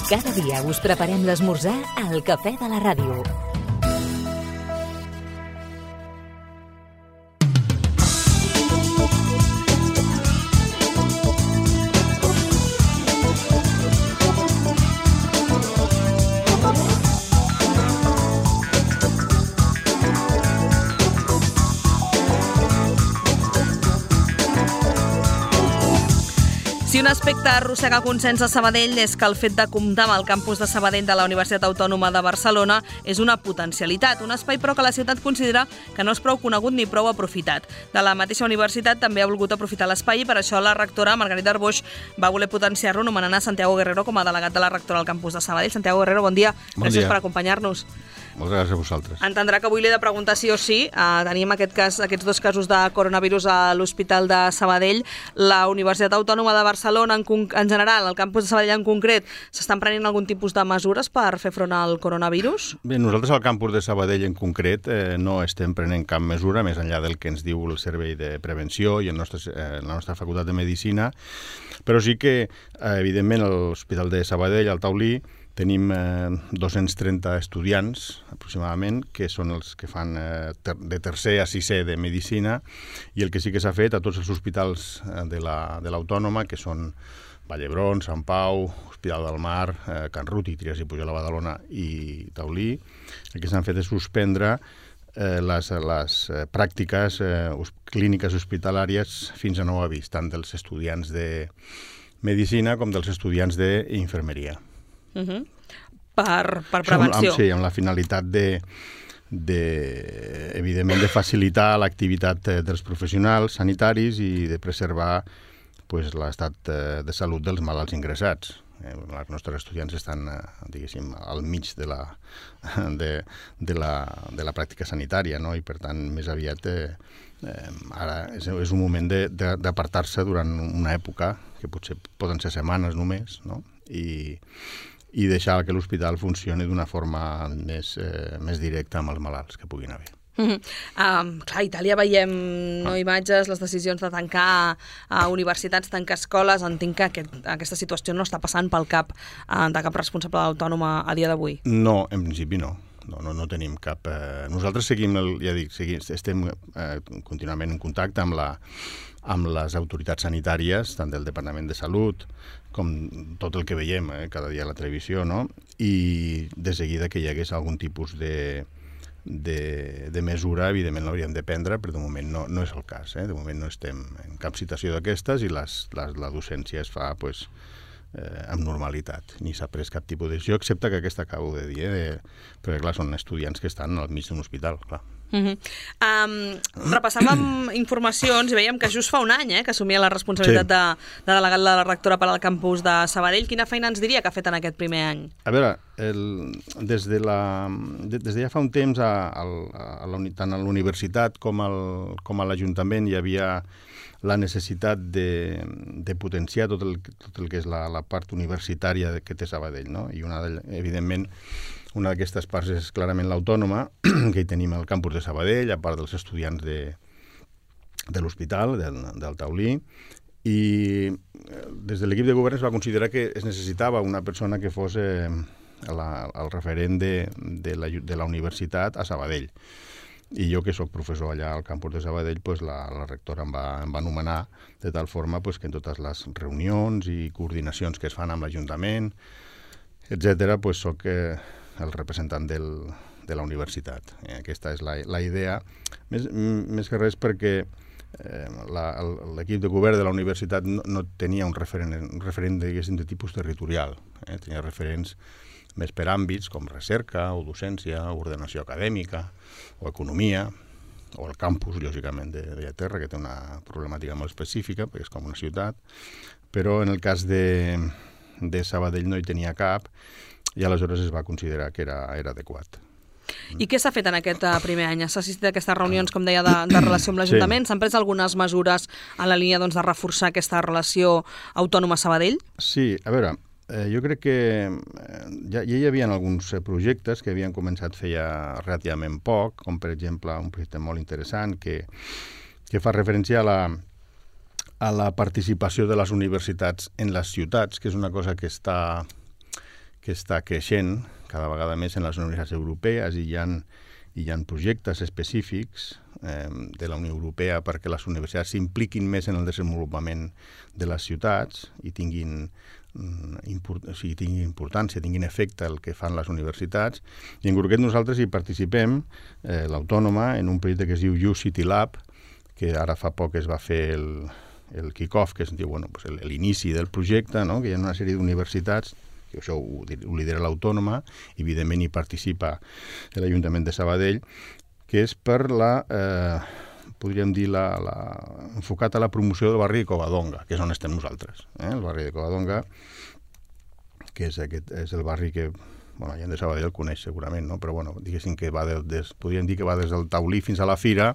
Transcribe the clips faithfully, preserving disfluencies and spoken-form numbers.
Cada dia us preparem l'esmorzar al Cafè de la Ràdio. Si un aspecte arrossega consens a Sabadell és que el fet de comptar amb el campus de Sabadell de la Universitat Autònoma de Barcelona és una potencialitat, un espai però que la ciutat considera que no és prou conegut ni prou aprofitat. De la mateixa universitat també ha volgut aprofitar l'espai i per això la rectora Margarita Arboix va voler potenciar-lo nomenant a Santiago Guerrero com a delegat de la rectora al campus de Sabadell. Santiago Guerrero, bon dia. Bon Gràcies dia. per acompanyar-nos. Moltes gràcies a vosaltres. Entendrà que avui li he de preguntar sí o sí. Uh, tenim aquest cas, aquests dos casos de coronavirus a l'Hospital de Sabadell. La Universitat Autònoma de Barcelona, en, en general, el campus de Sabadell en concret, s'estan prenent algun tipus de mesures per fer front al coronavirus? Bé, nosaltres al campus de Sabadell en concret eh, no estem prenent cap mesura, més enllà del que ens diu el Servei de Prevenció i el nostre, eh, la nostra Facultat de Medicina, però sí que, eh, evidentment, a l'Hospital de Sabadell, al Taulí, tenim eh, dos-cents trenta estudiants, aproximadament, que són els que fan eh, ter de tercer a sisè de Medicina, i el que sí que s'ha fet a tots els hospitals eh, de l'Autònoma, que són Vall d'Hebron, Sant Pau, Hospital del Mar, eh, Can Ruti, Trias i Pujol a Badalona i Taulí, el que s'han fet és suspendre eh, les, les eh, pràctiques eh, clíniques hospitalàries fins a nou avís, tant dels estudiants de Medicina com dels estudiants d'Infermeria. Uh -huh. per, per prevenció. Amb, sí, amb la finalitat de, de, evidentment, de facilitar l'activitat dels professionals sanitaris i de preservar pues, l'estat de salut dels malalts ingressats. Eh, els nostres estudiants estan, eh, diguéssim, al mig de la, de, de la, de la pràctica sanitària, no? I per tant, més aviat, eh, eh, ara és, és un moment d'apartar-se durant una època, que potser poden ser setmanes només, no? I, i deixar que l'hospital funcioni d'una forma més, eh, més directa amb els malalts que puguin haver. Uh -huh. um, clar, a Itàlia veiem no, imatges, les decisions de tancar uh, universitats, tancar escoles. Entenc que aquest, aquesta situació no està passant pel cap uh, de cap responsable autònoma a dia d'avui. No, en principi no. No, no, no tenim cap... Eh... Nosaltres seguim, el, ja dic, seguim, estem eh, contínuament en contacte amb, la, amb les autoritats sanitàries, tant del Departament de Salut com tot el que veiem eh, cada dia a la televisió, no? I de seguida que hi hagués algun tipus de, de, de mesura, evidentment l'hauríem de prendre, però de moment no, no és el cas. Eh? De moment no estem en cap situació d'aquestes i les, les, la docència es fa... Pues, Eh, amb normalitat. Ni s'ha pres cap tipus de decisió, excepte que aquesta acabo de dir, eh, de... perquè clar, són estudiants que estan al mig d'un hospital, clar. Uh -huh. um, repassàvem informacions i veiem que just fa un any eh, que assumia la responsabilitat sí. de, de delegat de la rectora per al campus de Sabadell. Quina feina ens diria que ha fet en aquest primer any? A veure, el, des, de la, de, des de ja fa un temps a, a, a la, tant a la universitat com, al, com a l'Ajuntament hi havia la necessitat de, de potenciar tot el, tot el que és la, la part universitària que té Sabadell, no? I una de, evidentment una d'aquestes parts és clarament l'Autònoma, que hi tenim al campus de Sabadell, a part dels estudiants de, de l'hospital, del, del Taulí, i des de l'equip de govern es va considerar que es necessitava una persona que fos eh, la, el referent de, de, la, de la universitat a Sabadell. I jo, que sóc professor allà al campus de Sabadell, pues la, la rectora em va, em va anomenar de tal forma pues, que en totes les reunions i coordinacions que es fan amb l'Ajuntament, etcètera, pues, sóc eh, el representant del, de la universitat. Eh, aquesta és la, la idea, més, més que res perquè eh, l'equip de govern de la universitat no, no tenia un referent, un referent diguéssim, de tipus territorial. Eh, tenia referents més per àmbits com recerca o docència, o ordenació acadèmica, o economia, o el campus, lògicament, de, de Llaterra, que té una problemàtica molt específica, perquè és com una ciutat, però en el cas de, de Sabadell no hi tenia cap, i aleshores es va considerar que era, era adequat. I què s'ha fet en aquest primer any? S'ha assistit a aquestes reunions, com deia, de, de relació amb l'Ajuntament? S'han sí. pres algunes mesures en la línia doncs, de reforçar aquesta relació autònoma-Sabadell? Sí, a veure, Eh, jo crec que eh, ja, ja hi havia alguns eh, projectes que havien començat feia relativament poc, com per exemple un projecte molt interessant que, que fa referència a la, a la participació de les universitats en les ciutats, que és una cosa que està, que està creixent cada vegada més en les universitats europees i hi ha, hi ha projectes específics eh, de la Unió Europea perquè les universitats s'impliquin més en el desenvolupament de les ciutats i tinguin, import, o sigui, tinguin importància, tinguin efecte el que fan les universitats. I en concret nosaltres hi participem, eh, l'Autònoma, en un projecte que es diu U-City Lab, que ara fa poc es va fer el, el kick-off, que es diu bueno, pues l'inici del projecte, no? Que hi ha una sèrie d'universitats, que això ho, ho lidera l'Autònoma, i evidentment hi participa l'Ajuntament de Sabadell, que és per la, eh, podríem dir, la, la, enfocat a la promoció del barri de Covadonga, que és on estem nosaltres. Eh? El barri de Covadonga, que és, aquest, és el barri que, bueno, la gent de Sabadell el coneix segurament, no? Però bueno, diguéssim que va de, des, podríem dir que va des del Taulí fins a la Fira,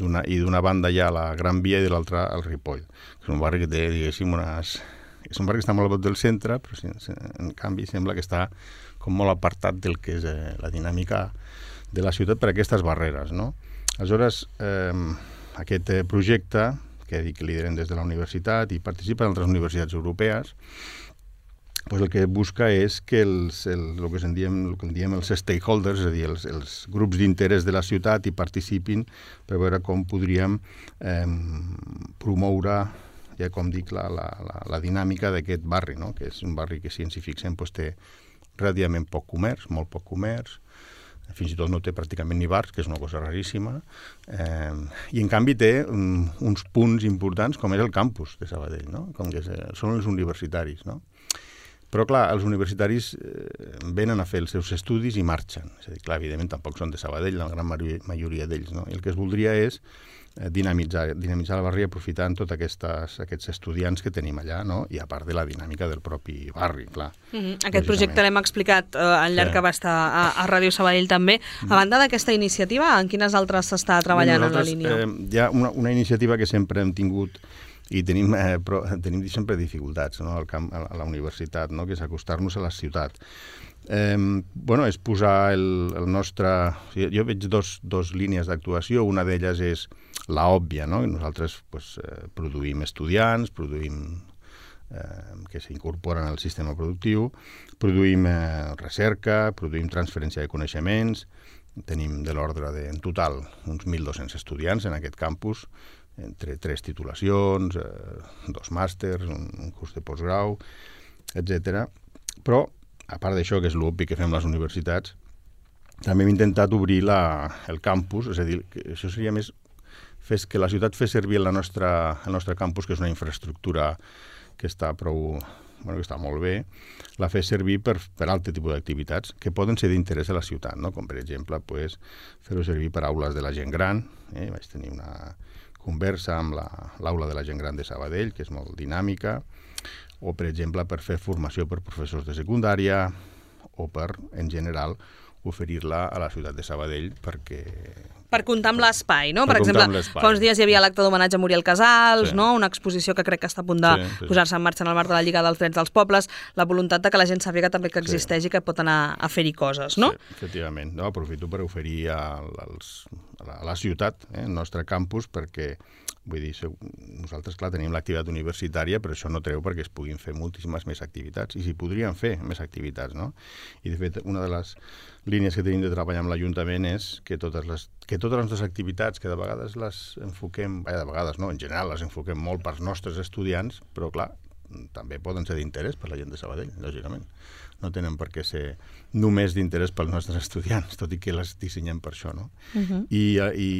d'una, i d'una banda hi ha la Gran Via i de l'altra el Ripoll. És un barri que té, diguéssim, unes... És un barri que està molt a prop del centre, però en canvi sembla que està com molt apartat del que és eh, la dinàmica de la ciutat per aquestes barreres, no? Aleshores, eh, aquest projecte, que dic que lideren des de la universitat i participen altres universitats europees, pues el que busca és que els, el, el, que en diem, el que en diem els stakeholders, és a dir, els, els grups d'interès de la ciutat hi participin per veure com podríem eh, promoure, ja com dic, la, la, la, la dinàmica d'aquest barri, no? Que és un barri que, si ens hi fixem, pues, té relativament poc comerç, molt poc comerç, fins i tot no té pràcticament ni bars, que és una cosa raríssima, eh, i en canvi té um, uns punts importants com és el campus de Sabadell, no? Com que és, són els universitaris, no? Però, clar, els universitaris eh, venen a fer els seus estudis i marxen. És a dir, clar, evidentment tampoc són de Sabadell, la gran majoria d'ells, no? I el que es voldria és eh, dinamitzar, dinamitzar el barri aprofitant tots aquests estudiants que tenim allà, no? I a part de la dinàmica del propi barri, clar. Mm-hmm. Aquest projecte l'hem explicat eh, al llarg sí. que va estar a, a Ràdio Sabadell també. A banda d'aquesta iniciativa, en quines altres s'està treballant en la línia? Eh, hi ha una, una iniciativa que sempre hem tingut i tenim, eh, però, tenim sempre dificultats, no? Al camp, a la universitat, no? Que és acostar-nos a la ciutat. Eh, bueno, és posar el, el nostre... O sigui, jo veig dos, dos línies d'actuació, una d'elles és la òbvia, no? Nosaltres pues, eh, produïm estudiants, produïm eh, que s'incorporen al sistema productiu, produïm eh, recerca, produïm transferència de coneixements, tenim de l'ordre de, en total, uns mil dos-cents estudiants en aquest campus, entre tres titulacions, eh, dos màsters, un, un curs de postgrau, etcètera. Però, a part d'això, que és l'obvi que fem les universitats, també hem intentat obrir la, el campus, és a dir, que això seria més fes que la ciutat fes servir la nostra, el nostre campus, que és una infraestructura que està prou... Bueno, que està molt bé, la fes servir per, per altre tipus d'activitats que poden ser d'interès a la ciutat, no? Com per exemple pues, fer-ho servir per aules de la gent gran. Eh? Vaig tenir una conversa amb l'aula de la gent gran de Sabadell, que és molt dinàmica, o per exemple per fer formació per professors de secundària o per, en general, oferir-la a la ciutat de Sabadell perquè... Per comptar amb l'espai, no? Per, per exemple, fa uns dies hi havia l'acte d'homenatge a Muriel Casals, sí. no? Una exposició que crec que està a punt de sí, sí. posar-se en marxa en el marc de la Lliga dels Drets dels Pobles, la voluntat de que la gent sàpiga també que existeix sí. i que pot anar a fer-hi coses, no? Sí, efectivament. No, aprofito per oferir a, als, a, la, a la ciutat, eh, el nostre campus, perquè vull dir, nosaltres, clar, tenim l'activitat universitària, però això no treu perquè es puguin fer moltíssimes més activitats, i s'hi podrien fer més activitats, no? I, de fet, una de les línies que tenim de treballar amb l'Ajuntament és que totes les, que totes les nostres activitats, que de vegades les enfoquem, vaja, de vegades no, en general les enfoquem molt pels nostres estudiants, però, clar, també poden ser d'interès per la gent de Sabadell, lògicament. No tenen per què ser només d'interès pels nostres estudiants, tot i que les dissenyem per això, no? Uh-huh. I, i,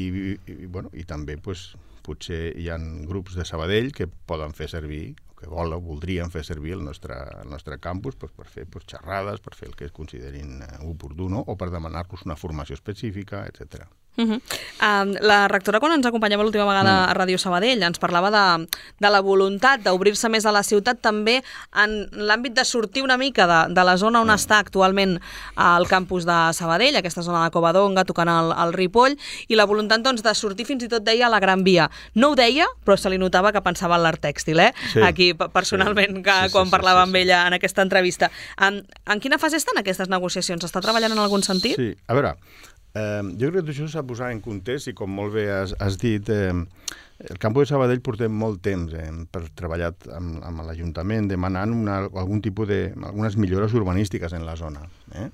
i, bueno, i també, pues, potser hi ha grups de Sabadell que poden fer servir, que volen, voldrien fer servir el nostre, el nostre campus pues, per fer pues, xerrades, per fer el que es considerin oportú, no? O per demanar-los una formació específica, etcètera. Uh-huh. Uh, la rectora, quan ens acompanyava l'última vegada mm. a Ràdio Sabadell, ens parlava de, de la voluntat d'obrir-se més a la ciutat, també en l'àmbit de sortir una mica de, de la zona on mm. està actualment el campus de Sabadell, aquesta zona de Covadonga, tocant el, el Ripoll, i la voluntat doncs, de sortir fins i tot, deia, a la Gran Via. No ho deia, però se li notava que pensava en l'art tèxtil, eh? Sí. Aquí, personalment, sí. que, sí, sí, quan sí, parlava sí, sí, amb ella en aquesta entrevista. En, en quina fase estan aquestes negociacions? Està treballant en algun sentit? Sí, a veure... Eh, jo crec que això s'ha posat en context i com molt bé has, has dit, eh, el campus de Sabadell portem molt temps eh, per treballar amb, amb l'Ajuntament demanant una, algun tipus de, algunes millores urbanístiques en la zona. Eh?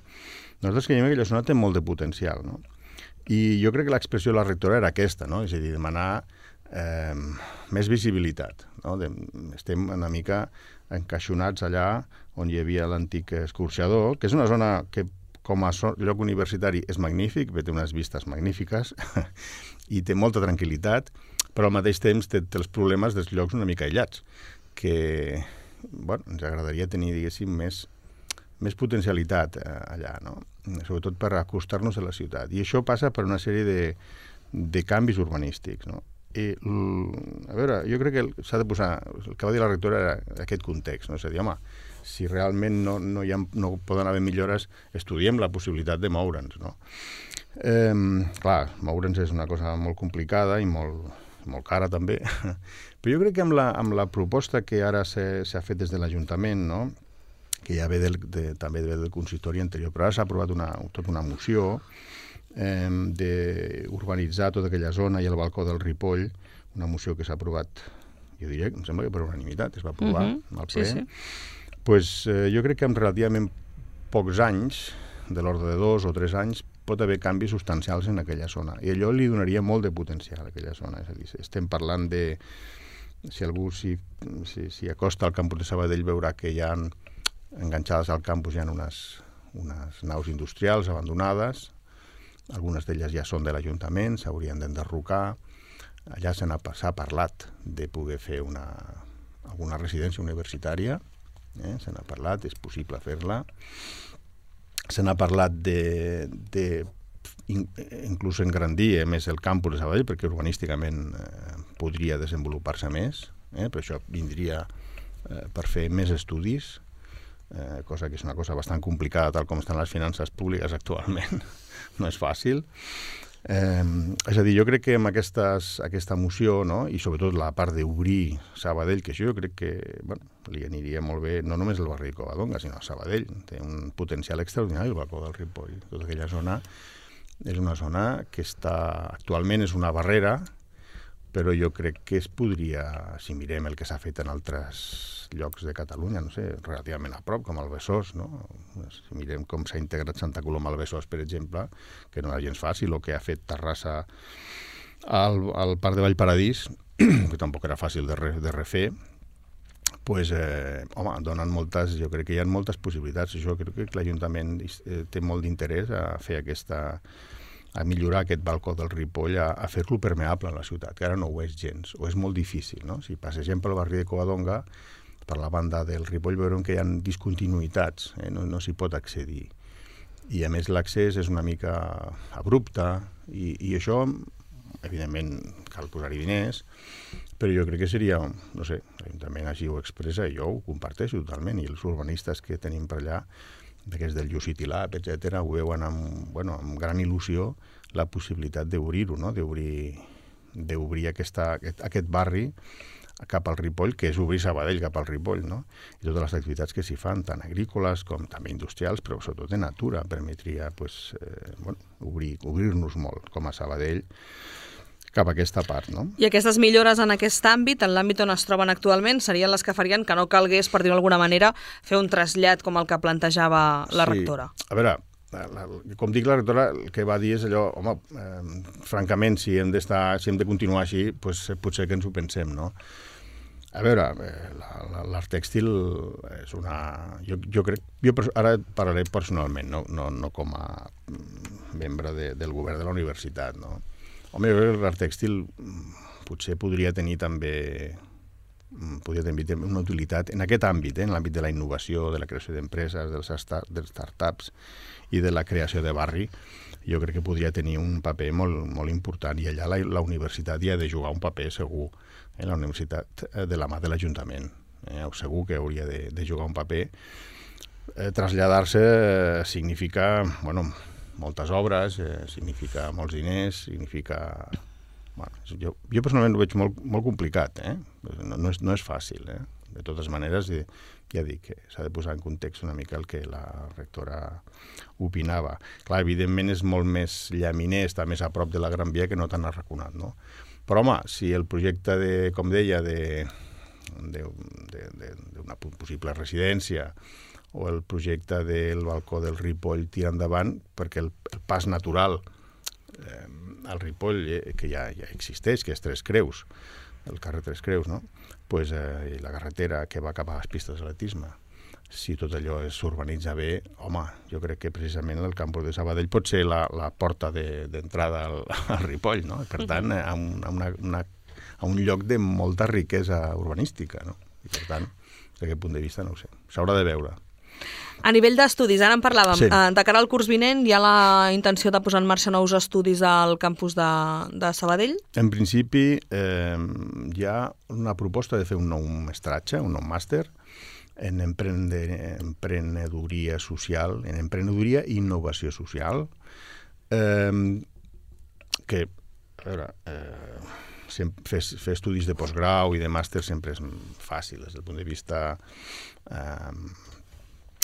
Nosaltres creiem que la zona té molt de potencial, no? I jo crec que l'expressió de la rectora era aquesta, no? És a dir, demanar eh, més visibilitat. No? De, estem una mica encaixonats allà on hi havia l'antic escorxador, que és una zona que com a lloc universitari és magnífic, té unes vistes magnífiques i té molta tranquil·litat, però al mateix temps té, té els problemes dels llocs una mica aïllats, que bueno, ens agradaria tenir, diguéssim, més, més potencialitat eh, allà, no? Sobretot per acostar-nos a la ciutat. I això passa per una sèrie de, de canvis urbanístics, no? I, a veure, jo crec que s'ha de posar, el que va dir la rectora era aquest context, no? És a dir, home, si realment no, no, hi ha, no poden haver millores, estudiem la possibilitat de moure'ns, no? Eh, clar, moure'ns és una cosa molt complicada i molt, molt cara també, però jo crec que amb la, amb la proposta que ara s'ha fet des de l'Ajuntament, no? Que ja ve del, de, també ve del consistori anterior, però ara s'ha aprovat una, tota una moció eh, d'urbanitzar tota aquella zona i el balcó del Ripoll, una moció que s'ha aprovat, jo diria, em sembla que per unanimitat es va aprovar uh-huh. al ple. Sí, sí. Pues, eh, jo crec que en relativament pocs anys, de l'ordre de dos o tres anys, pot haver canvis substancials en aquella zona. I allò li donaria molt de potencial a aquella zona. És a dir, estem parlant de... Si algú s'hi si, si acosta al campus de Sabadell veurà que hi ha enganxades al campus hi ha unes, unes naus industrials abandonades, algunes d'elles ja són de l'Ajuntament, s'haurien d'enderrocar. Allà s'ha parlat de poder fer una, alguna residència universitària, Eh? Se n'ha parlat, és possible fer-la. Se n'ha parlat de, de in, inclús engrandir eh, més el campus de Sabadell, perquè urbanísticament eh, podria desenvolupar-se més, eh? Per això vindria eh, per fer més estudis, eh, cosa que és una cosa bastant complicada tal com estan les finances públiques actualment. No és fàcil. Eh, és a dir, jo crec que amb aquestes, aquesta moció, no? I sobretot la part d'obrir Sabadell, que això jo crec que bueno, li aniria molt bé, no només el barri de Covadonga, sinó a Sabadell. Té un potencial extraordinari el balcó del Ripoll. Tota aquella zona és una zona que està, actualment és una barrera, però jo crec que es podria, si mirem el que s'ha fet en altres llocs de Catalunya, no sé, relativament a prop, com el Besòs, no? Si mirem com s'ha integrat Santa Coloma al Besòs, per exemple, que no era gens fàcil, o que ha fet Terrassa al, al Parc de Vallparadís, que tampoc era fàcil de, re, de refer, pues, eh, home, donen moltes, jo crec que hi ha moltes possibilitats. Jo crec que l'Ajuntament eh, té molt d'interès a fer aquesta, a millorar aquest balcó del Ripoll, a, a fer-lo permeable a la ciutat, que ara no ho és gens, o és molt difícil, no? Si passegem pel barri de Covadonga, per la banda del Ripoll veurem que hi ha discontinuïtats, eh? no, no s'hi pot accedir. I a més l'accés és una mica abrupte, i, i això, evidentment, cal posar-hi diners, però jo crec que seria, no sé, l'Ajuntament així ho expressa, i jo ho comparteixo totalment, i els urbanistes que tenim per allà, d'aquests del City Lab, etcètera, ho veuen amb, bueno, amb gran il·lusió la possibilitat d'obrir-ho, no? d'obrir d'obrir aquesta, aquest, aquest barri cap al Ripoll, que és obrir Sabadell cap al Ripoll, no? I totes les activitats que s'hi fan, tant agrícoles com també industrials, però sobretot de natura, permetria pues, eh, bueno, obrir, obrir-nos molt com a Sabadell cap a aquesta part, no? I aquestes millores en aquest àmbit, en l'àmbit on es troben actualment, serien les que farien que no calgués, per dir-ho d'alguna manera, fer un trasllat com el que plantejava la sí. rectora. A veure, la, la, com dic, la rectora el que va dir és allò, home, eh, francament, si hem d'estar, si hem de continuar així, pues, potser que ens ho pensem, no? A veure, eh, l'art tèxtil és una... Jo, jo crec... Jo ara parlaré personalment, no, no, no com a membre de, del govern de la universitat, no? Home, jo crec que l'art tèxtil potser podria tenir també podria tenir una utilitat en aquest àmbit, eh, en l'àmbit de la innovació, de la creació d'empreses, dels, start, dels startups i de la creació de barri. Jo crec que podria tenir un paper molt, molt important, i allà la, la universitat hi ha de jugar un paper segur, eh, la universitat de la mà de l'Ajuntament. Eh, segur que hauria de, de jugar un paper. Eh, traslladar-se eh, significa, bueno, moltes obres, eh, significa molts diners, significa... Bueno, jo, jo personalment ho veig molt, molt complicat, eh? No, no, és, no és fàcil, eh? de totes maneres, i, ja dic que s'ha de posar en context una mica el que la rectora opinava. Clar, evidentment és molt més llaminer, està més a prop de la Gran Via que no tan arraconat, no? Però, home, si el projecte, de, com deia, de, de, de, de, d'una possible residència o el projecte del balcó del Ripoll tira endavant, perquè el, el pas natural eh, al Ripoll, eh, que ja, ja existeix, que és Tres Creus, el carrer Tres Creus, no? Pues, eh, i la carretera que va cap a les pistes d'atletisme. Si tot allò s'urbanitza bé, home, jo crec que precisament el campus de Sabadell pot ser la, la porta d'entrada de, al, al Ripoll, no? Per tant, a un, a, una, una, a un lloc de molta riquesa urbanística, no? I per tant, des d'aquest punt de vista, no ho sé, s'haurà de veure. A nivell d'estudis, ara en parlàvem, sí. De cara al curs vinent hi ha la intenció de posar en marxa nous estudis al campus de, de Sabadell? En principi, eh, hi ha una proposta de fer un nou mestratge, un nou màster, en emprenedoria social, en emprenedoria i innovació social, eh, que, a veure, eh, fer, fer estudis de postgrau i de màster sempre és fàcil, des del punt de vista... Eh,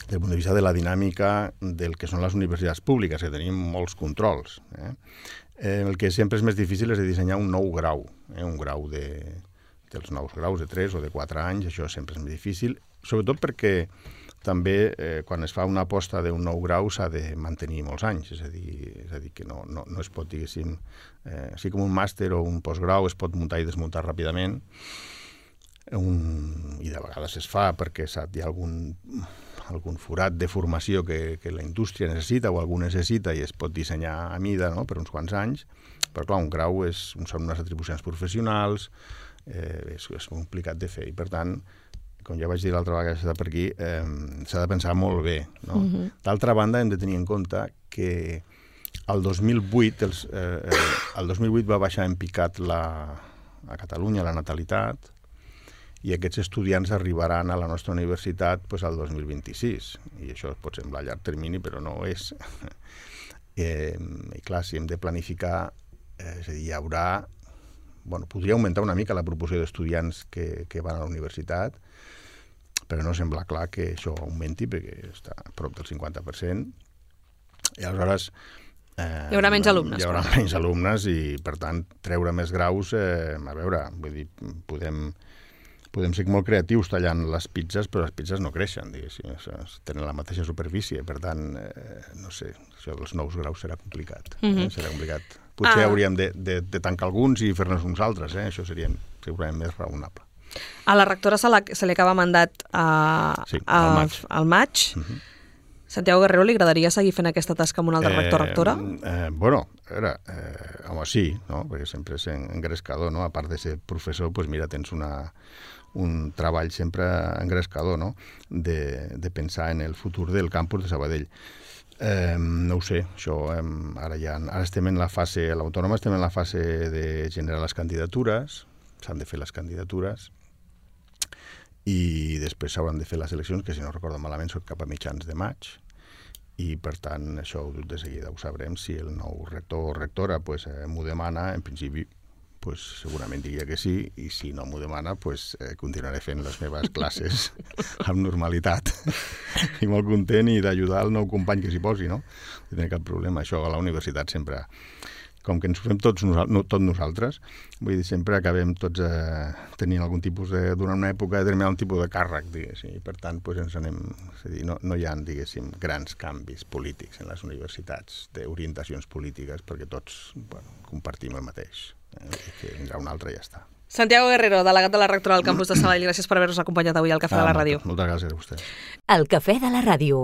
des del punt de vista de la dinàmica del que són les universitats públiques, que tenim molts controls. Eh? Eh, el que sempre és més difícil és de dissenyar un nou grau, eh? un grau de, dels nous graus de tres o de quatre anys, això sempre és més difícil, sobretot perquè també eh, quan es fa una aposta d'un nou grau s'ha de mantenir molts anys, és a dir, és a dir que no, no, no es pot, diguéssim, eh, així com un màster o un postgrau es pot muntar i desmuntar ràpidament, un, i de vegades es fa perquè sap, hi ha algun... algun forat de formació que, que la indústria necessita o algú necessita i es pot dissenyar a mida, no?, per uns quants anys, però clar, un grau és, són unes atribucions professionals, eh, és, és complicat de fer i per tant, com ja vaig dir l'altra vegada que s'ha per aquí, eh, s'ha de pensar molt bé, no? Uh-huh. D'altra banda, hem de tenir en compte que el dos mil vuit, els, eh, el dos mil vuit va baixar en picat la, a Catalunya la natalitat, i aquests estudiants arribaran a la nostra universitat pues, al dos mil vint-i-sis. I això pot semblar a llarg termini, però no ho és. eh, I clar, si hem de planificar, eh, és a dir, hi haurà... Bueno, podria augmentar una mica la proporció d'estudiants que, que van a la universitat, però no sembla clar que això augmenti, perquè està a prop del cinquanta per cent. I aleshores... Eh, hi haurà menys alumnes. Hi haurà però. menys alumnes i, per tant, treure més graus, eh, a veure, vull dir, podem... Podem ser molt creatius tallant les pizzas, però les pizzas no creixen, diguéssim, tenen la mateixa superfície, per tant, eh, no sé, això dels nous graus serà complicat, mm-hmm. eh? serà complicat. Potser ah. hauríem de, de, de tancar alguns i fer-nos uns altres, eh? Això seria segurament més raonable. A la rectora se, la, se li acaba mandat a, sí, a, al maig. Al maig. Mm-hmm. Santiago Guerrero, li agradaria seguir fent aquesta tasca amb un altre eh, rector-rectora? Eh, bueno, a veure, eh, home, sí, no? Perquè sempre és engrescador, no? A part de ser professor, doncs mira, tens una... un treball sempre engrescador, no?, de, de pensar en el futur del campus de Sabadell. Eh, no ho sé, això eh, ara ja ara estem en la fase, a l'Autònoma estem en la fase de generar les candidatures, s'han de fer les candidatures i després s'hauran de fer les eleccions, que si no recordo malament són cap a mitjans de maig, i per tant això de seguida ho sabrem, si el nou rector o rectora pues, eh, m'ho demana, en principi pues segurament diria que sí, i si no m'ho demana, pues eh, continuaré fent les meves classes amb normalitat i molt content i d'ajudar el nou company que s'hi posi, no? No tinc cap problema. Això a la universitat sempre, com que ens ho fem tots, no, tots nosaltres, vull dir, sempre acabem tots eh, tenint algun tipus de, durant una època, determinat un tipus de càrrec, diguéssim, i per tant pues, ens anem, és a dir, no, no hi ha, diguéssim, grans canvis polítics en les universitats, d'orientacions polítiques, perquè tots bueno, compartim el mateix. Que vindrà un altre i ja està. Santiago Guerrero, delegat de la rectora del campus de Sabadell, gràcies per haver-nos acompanyat avui al Cafè ah, de la Ràdio. Moltes gràcies a vostè. El Cafè de la Ràdio.